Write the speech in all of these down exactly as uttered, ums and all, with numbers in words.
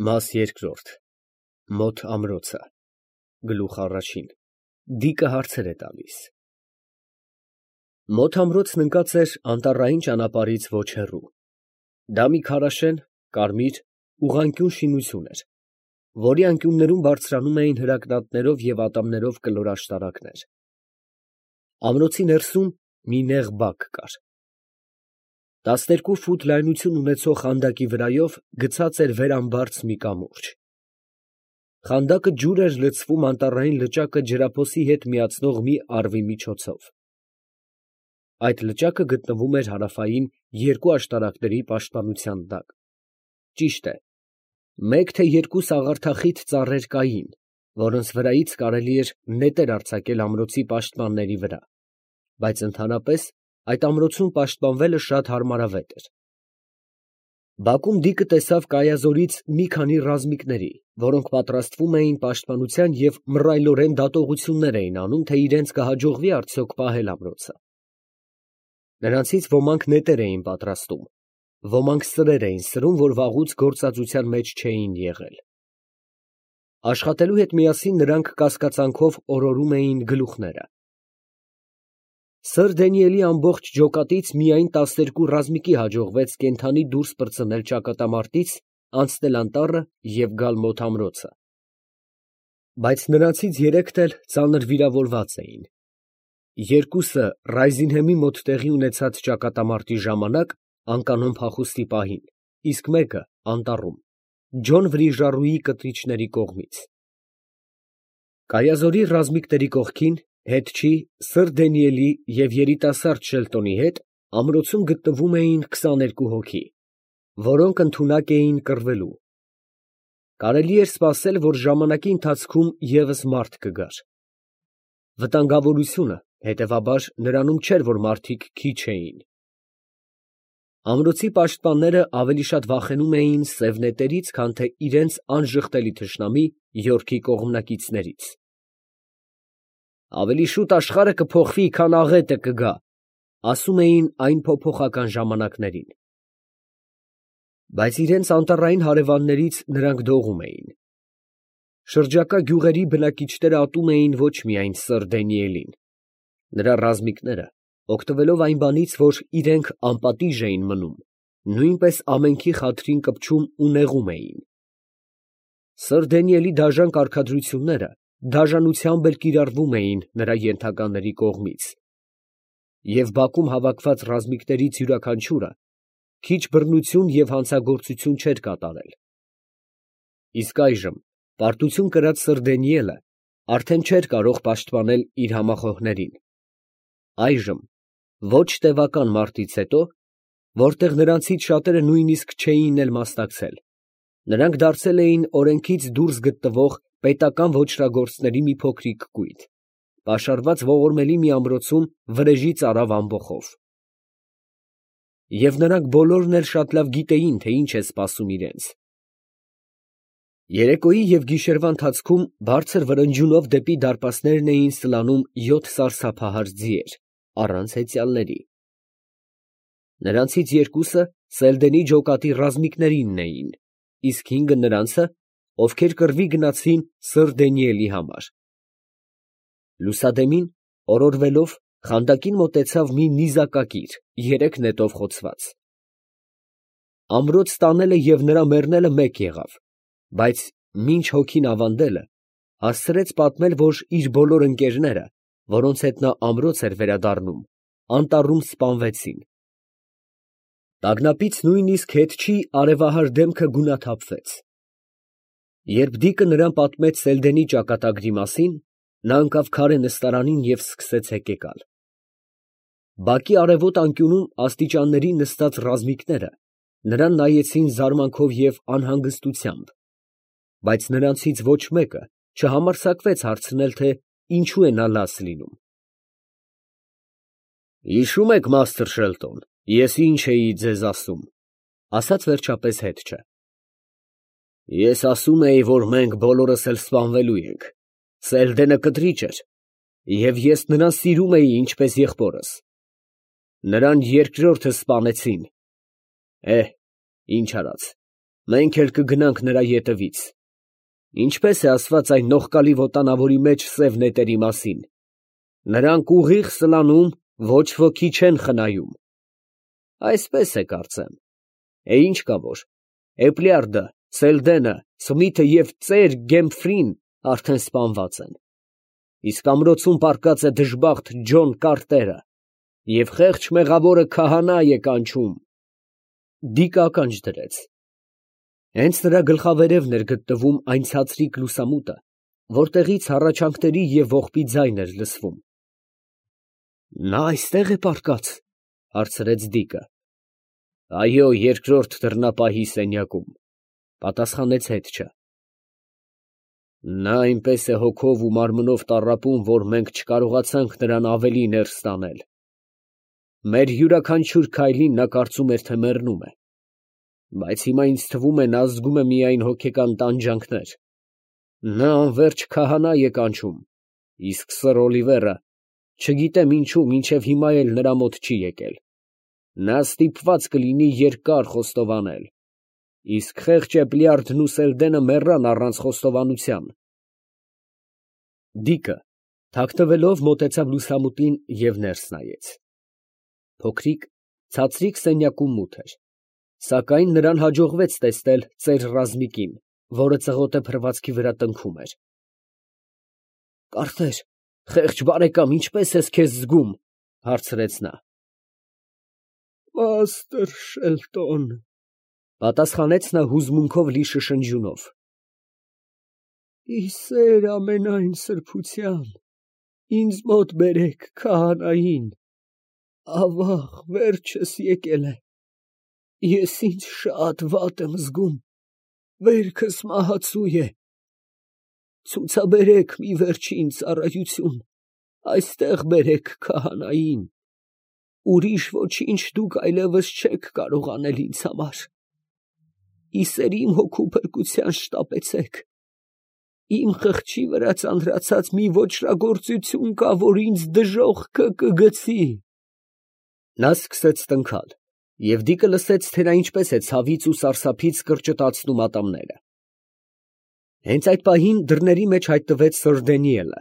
Մաս երկրորդ Մոտ ամրոցը Գլուխ առաջին Դիկը հարցեր է տալիս Մոտ ամրոցն ընկած էր անտառային ճանապարհից ոչ հեռու։ Դա մի քարաշեն, կարմիր, ուղղանկյուն շինություն էր, որի անկյուններում բարձրանում էին հրակնատներով և ատամներով կլոր աշտարակներ։ Ամրոցի ներսում մի նեղ բակ կար։ Տասներկու ֆուտ լայնություն ունեցող խանդակի վրայով գցած էր վերամբարձ մի կամուրջ։ Խանդակը ջուր էր լցվում անտառային լճակը ջրափոսի հետ միացնող մի առվի միջոցով։ Այդ լճակը գտնվում էր հարավային երկու աշտարակների պաշտպանության տակ։ Ճիշտ է, մեկ թե երկու սաղարթախիտ ծառեր կային, որոնց վրայից կարելի էր նետեր արձակել ամրոցի պաշտպանների վրա, բայց ընդհանրապես այդ ամրոցում պաշտպանվելը շատ հարմարավետ էր։ Բակում Դիկը տեսավ կայազորից մի քանի ռազմիկների, որոնք պատրաստվում էին պաշտպանության և մռայլորեն դատողություններ էին անում, թե իրենց կհաջողվի արդյոք պահել ամրոցը։ Նրանցից ոմանք նետեր էին պատրաստում, ոմանք սրեր էին սրում, որ վաղուց գործածության մեջ չէին եղել։ Աշխատելու հետ միասին նրանք կասկածանքով օրորում էին գլուխները։ Սըր Դանիելի ամբողջ ջոկատից միայն տասներկու ռազմիկի հաջողվեց կենդանի դուրս պրծնել ճակատամարտից, անցնել անտառը և գալ մոտ ամրոցը։ Բայց նրանցից երեքն էլ ծանր վիրավորված էին։ Երկուսը Ռայզինհեմի մոտ տեղի ունեցած ճակատամարտի ժամանակ անկանոն փախուստի պահին, իսկ մեկը անտառում, Ջոն Վրիժառուի կտրիչների կողմից։ Կայազորի ռազմիկների կողքին, հետչի, սըր Դանիելի և երիտասարդ Շելտոնի հետ ամրոցում գտնվում էին քսաներկու հոգի, որոնք ընդունակ էին կռվելու։ Կարելի էր սպասել, որ ժամանակի ընթացքում ևս մարդ կգար։ Վտանգավորությունը, հետևաբար, նրանում չէր, որ մարդիկ քիչ էին։ Ամրոցի պաշտպանները ավելի շատ վախենում էին սև նետերից, քան թե իրենց անժխտելի թշնամի Յորքի կողմնակիցներից։ «Ավելի շուտ աշխարհը կփոխվի, քան աղետը կգա», ասում էին այն փոփոխական ժամանակներին։ Բայց իրենց անտառային հարևաններից նրանք դողում էին։ Շրջակա գյուղերի բնակիչները ատում էին ոչ միայն սըր Դանիելին։ Նրա ռազմիկները, օգտվելով այն բանից, որ իրենք անպատիժ էին մնում, նույնպես ամենքի խաթրին կպչում ու նեղում էին։ Սըր Դանիելի դաժան կարգադրությունները դաժանությամբ էլ կիրառվում էին նրա ենթականների կողմից, և բակում հավաքված ռազմիկներից յուրաքանչյուրը քիչ բռնություն և հանցագործություն չէր կատարել։ Իսկ այժմ պարտություն կրած սըր Դանիելը արդեն չէր կարող պաշտպանել իր համախոհներին։ Այժմ, ոչ տևական մարտից հետո, որտեղ նրանցից շատերը նույնիսկ չէին էլ մասնակցել, նրանք դարձել էին օրենքից դուրս գտնվող պետական ոճրագործների մի փոքրիկ կույտ, պաշարված ողորմելի մի ամրոցում վրեժի ծարավ ամբոխով։ Եվ նրանք բոլորն էլ շատ լավ գիտեին, թե ինչ է սպասում իրենց։ Երեկոյի և գիշերվա ընթացքում բարձր վրնջյունով դեպի դարպասներն էին սլանում յոթ սարսափահար ձիեր, առանց հեծյալների։ Նրանցից երկուսը Սելդենի ջոկատի ռազմիկներինն էին, իսկ հինգը նրանցը, ովքեր կռվի գնացին սըր Դանիելի համար։ Լուսադեմին, օրորվելով, խանդակին մոտեցավ մի նիզակակիր, երեք նետով խոցված։ Ամրոց տանելը և նրա մեռնելը մեկ եղավ, բայց մինչ հոգին ավանդելը, հասցրեց պատմել, որ իր բոլոր ընկերները, որոնց հետ նա ամրոց էր վերադառնում, անտառում սպանվեցին։ Տագնապից նույնիսկ հետչի արևահար դեմքը գունաթափվեց։ Երբ Դիկը նրան պատմեց Սելդենի ճակատագրի մասին, նա ընկավ քարե նստարանին և սկսեց հեկեկալ։ Բակի արևոտ անկյունում աստիճանների նստած ռազմիկները նրան նայեցին զարմանքով և անհանգստությամբ, բայց նրանցից ոչ մեկը չհամարձակվեց հարցնել, թե ինչու է նա լաց լինում։ «Հիշո՞ւմ եք, Մաստր Շելտոն, ես ինչ էի ձեզ ասում, ֊ ասաց վերջապես հետչը։ ֊ Ես ասում էի, որ մենք բոլորս էլ սպանվելու ենք. Սելդենը կտրիչ էր, և ես նրան սիրում էի ինչպես եղբորս։ Նրան երկրորդը սպանեցին. էհ, ինչ արած։ մենք էլ կգնանք նրա ետևից. ինչպես է ասված այն նողկալի ոտանավորի մեջ սև նետերի մասին. նրանք ուղիղ սլանում, ոչ ոքի չեն խնայում. այսպես է կարծեմ, է ինչ կա որ, Էպլիարդը, Սելդենը, Սմիթը և ծեր Գեմփրին արդեն սպանված են, իսկ ամրոցում պառկած է դժբախտ Ջոն Կարտերը, և խեղճ մեղավորը քահանա է կանչում։ Դիկը ականջ դրեց. հենց նրա գլխավերևն էր գտնվում այն ցածրիկ լուսամուտը, որտեղից հառաչանքների և ողբի ձայն էր լսվում։ Նա այստե՞ղ է պառկած, հարցրեց Դիկը։ Այո, երկրորդ դռնապահի սենյակում, պատասխանեց հետչը։ Նա այնպես է հոգով ու մարմնով տառապում, որ մենք չկարողացանք նրան ավելի ներս տանել։ Մեր յուրաքանչյուր քայլին նա կարծում էր, թե մեռնում է, բայց հիմա ինձ թվում է, նա զգում է միայն հոգեկան տանջանքներ։ Նա անվերջ քահանա է կանչում, իսկ սըր Օլիվերը, չգիտեմ ինչու, մինչև հիմա էլ նրա մոտ չի եկել։ Նա ստիպված կլինի երկար խոստովանել, իսկ խեղճ Էպլիարդն ու Սելդենը մեռան առանց խոստովանության։ Դիկը, թաքնվելով, մոտեցավ լուսամուտին և ներս նայեց։ Փոքրիկ, ցածրիկ սենյակում մութ էր, սակայն նրան հաջողվեց տեսնել ծեր Ռազմիկին, որը ծղոտե փռվածքի վրա տնքում էր։ Կարծես, խեղճ բարեկամ, ինչպե՞ս ես քեզ զգում, հարցրեց նա։ Պաստր Շելտոն, պատասխանեց նա հուզմունքով լի շշնջյունով։ Ի սեր ամենայն սրբության, ինձ մոտ բերեք քահանային, ավաղ վերջս եկել է, ես ինձ շատ վատ եմ զգում, վերքս մահացու է, ցուցաբերեք մի վերջին ծառայություն, այստեղ բերեք քահանային, ուրիշ ոչինչ դուք այլևս չեք կարող անել ինձ համար, ի սեր իմ հոգու փրկության շտապեցեք, իմ խղճի վրա ծանրացած մի ոճրագործություն կա, որ ինձ դժոխքը կգցի։ Նա սկսեց տնքալ, և Դիկը լսեց, թե նա ինչպես է ցավից ու սարսափից կրճտացնում ատամները։ Հենց այդ պահին դռների մեջ հայտնվեց սըր Դանիելը,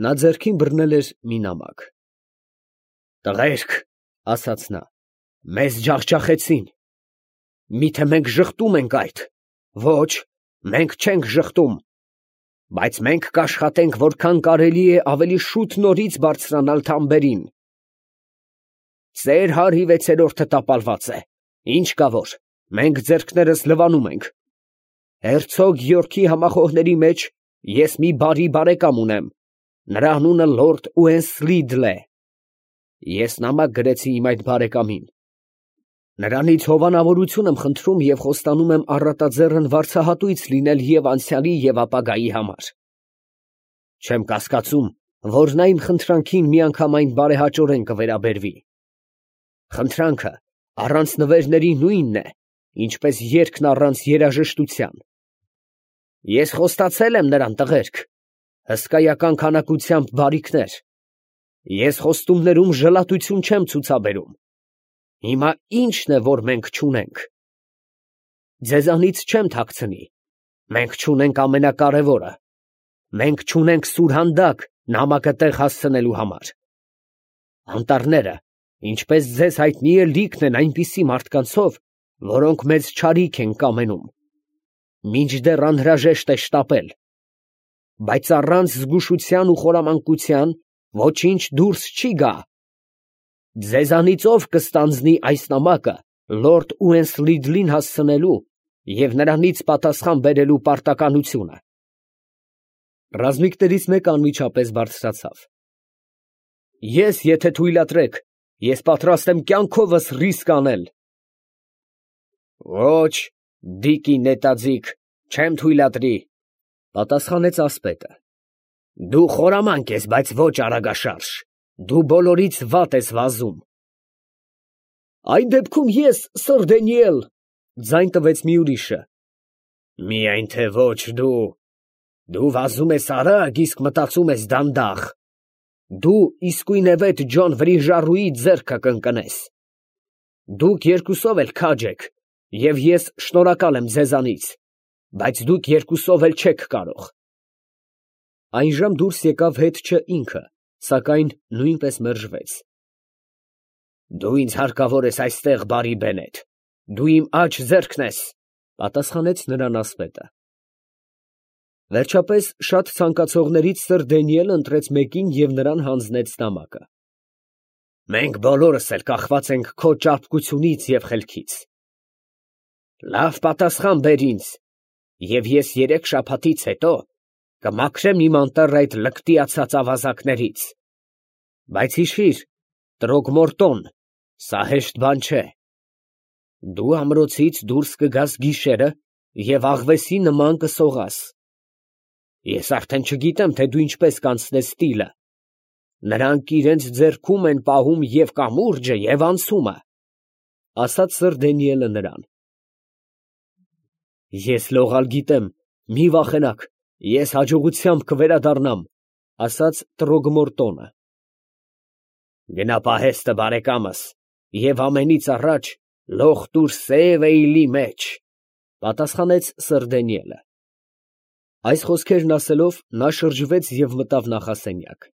նա ձեռքին բռնել էր մի նամակ։ Տղերք, ասաց նա, մեզ ջախջախեցին, միթե մենք ժխտում ենք այդ, ոչ, մենք չենք ժխտում, բայց մենք կաշխատենք, որքան կարելի է ավելի շուտ նորից բարձրանալ թամբերին։ Ծեր հարի վեցերորդը տապալված է, ինչ կա որ, մենք ձեռքներս լվանում ենք։ Հերցոգ Գյորգի համախոհների մեջ ես մի բարի բարեկամ ունեմ, նրա անունը լորդ Ուենսլիդլ է։ Ես նամակ գրեցի իմ այդ բարեկամին։ Նրանից հովանավորություն եմ խնդրում և խոստանում եմ առատաձեռն վարձահատույց լինել և անցյալի և ապագայի համար։ Չեմ կասկածում, որ նա իմ խնդրանքին միանգամայն բարեհաճորեն կվերաբերվի։ Խնդրանքը առանց նվերների նույնն է, ինչպես երգն առանց երաժշտության։ Ես խոստացել եմ նրան, տղերք, հսկայական քանակությամբ բարիքներ։ Ես խոստումներում ժլատություն չեմ ցուցաբերում։ Հիմա ի՞նչն է, որ մենք չունենք։ Ձեզանից չեմ թաքցնի, մենք չունենք ամենակարևորը, մենք չունենք սուրհանդակ նամակը տեղ հասցնելու համար։ Անտառները, ինչպես ձեզ հայտնի է, լիքն են այնպիսի մարդկանցով, որոնք մեզ չարիք են կամենում, մինչդեռ անհրաժեշտ է շտապել, բայց առանց զգուշության ու խորամանկության ոչինչ դուրս չի գա։ Ձեզանից ով կստանձնի այս նամակը լորդ Ուենսլիդլին հասցնելու և նրանից պատասխան բերելու պարտականությունը։ Ռազմիկներից մեկը անմիջապես բարձրացավ։ Ես, եթե թույլատրեք, ես պատրաստ եմ կյանքովս ռիսկ անել։ Ոչ, Դիկի նետաձիգ, չեմ թույլատրի, պատասխանեց ասպետը։ Դու խորամանկ ես, բայց ոչ արագաշարժ, դու բոլորից վատ ես վազում։ Այդ դեպքում ես, սըր Դանիել, ձայն տվեց մի ուրիշը։ Միայն թե ոչ դու, դու վազում ես արագ, իսկ մտածում ես դանդաղ։ Դու իսկույնևեթ Ջոն Վրիժառուի ձեռքը կընկնես։ Դուք երկուսով էլ քաջ եք, Եվ ես շնորհակալ եմ ձեզանից, բայց դուք երկուսով էլ չեք կարող։ Այնժամ դուրս եկավ հետչը ինքը, սակայն նույնպես մերժվեց։ Դու ինձ հարկավոր ես այստեղ, բարի բենետ, դու իմ աջ ձեռքն ես, պատասխանեց նրան ասպետը։ Վերջապես շատ ցանկացողներից սըր Դանիելը ընտրեց մեկին և նրան հանձնեց նամակը։ Մենք բոլորս էլ կախված ենք քո ճարպկությունից և խելքից։ Լավ պատասխան բեր ինձ, և ես երեք շաբաթից հետո կմաքրեմ իմ անտառը այդ լկտիացած ավազակներից։ Բայց հիշիր, Տրոգմորտոն, սա հեշտ բան չէ։ Դու ամրոցից դուրս կգաս գիշերը և աղվեսի նման կսողաս։ Ես արդեն չգիտեմ, թե դու ինչպես կանցնես տիլը. նրանք իրենց ձեռքում են պահում և կամուրջը, և անցումը, ֊ ասաց սըր Դանիելը նրան։ Ես լողալ գիտեմ, մի վախենաք, ես հաջողությամբ կվերադառնամ, ֊ ասաց Տրոգմորտոնը։ Գնա պահեստը, բարեկամս, և ամենից առաջ լող տուր սև էյլի մեջ, ֊ պատասխանեց սըր Դանիելը։ Այս խոսքերն ասելով, նա շրջվեց և մտավ նախասենյակ։